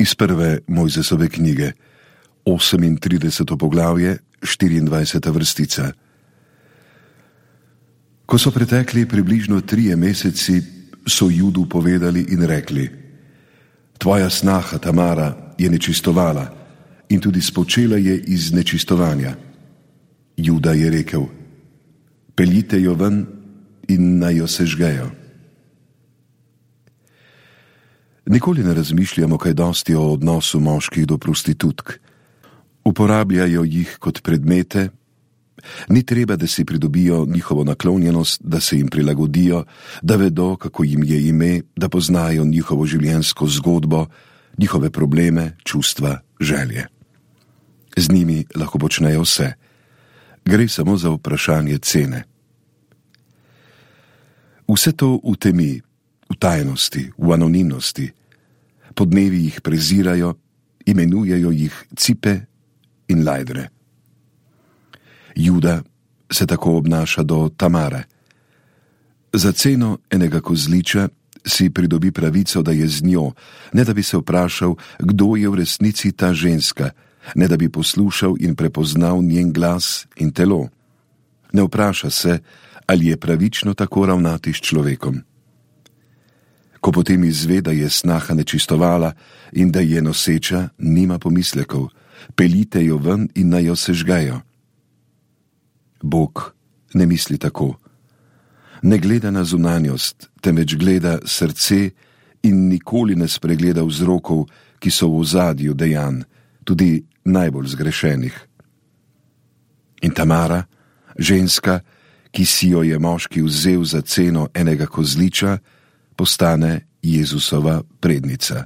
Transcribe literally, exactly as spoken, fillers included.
Iz prve Mojzesove knjige, osemintrideseto poglavje, štiriindvajseta vrstica. Ko so pretekli približno trije meseci, so Judu povedali in rekli: Tvoja snaha Tamara je nečistovala in tudi spočela je iz nečistovanja. Juda je rekel: Peljite jo ven in naj jo sežgejo. Nikoli ne razmišljamo kaj dosti o odnosu moških do prostitutk. Uporabljajo jih kot predmete, ni treba, da si pridobijo njihovo naklonjenost, da se jim prilagodijo, da vedo, kako jim je ime, da poznajo njihovo življenjsko zgodbo, njihove probleme, čustva, želje. Z njimi lahko počnejo vse. Gre samo za vprašanje cene. Vse to v temi, v tajnosti, v anonimnosti. Podnevi jih prezirajo, imenujejo jih cipe in lajdre. Juda se tako obnaša do Tamare. Za ceno enega kozliča si pridobi pravico, da je z njo, ne da bi se vprašal, kdo je v resnici ta ženska, ne da bi poslušal in prepoznal njen glas in telo. Ne vpraša se, ali je pravično tako ravnati s človekom. Ko potem izve, da je snaha nečistovala in da je noseča, nima pomislekov, peljite jo ven in naj jo sežgejo. Bog ne misli tako. Ne gleda na zunanjost, temveč gleda srce in nikoli ne spregleda vzrokov, ki so v ozadju dejanj, tudi najbolj zgrešenih. In Tamara, ženska, ki si jo je moški vzel za ceno enega kozliča, postane Jezusova prednica.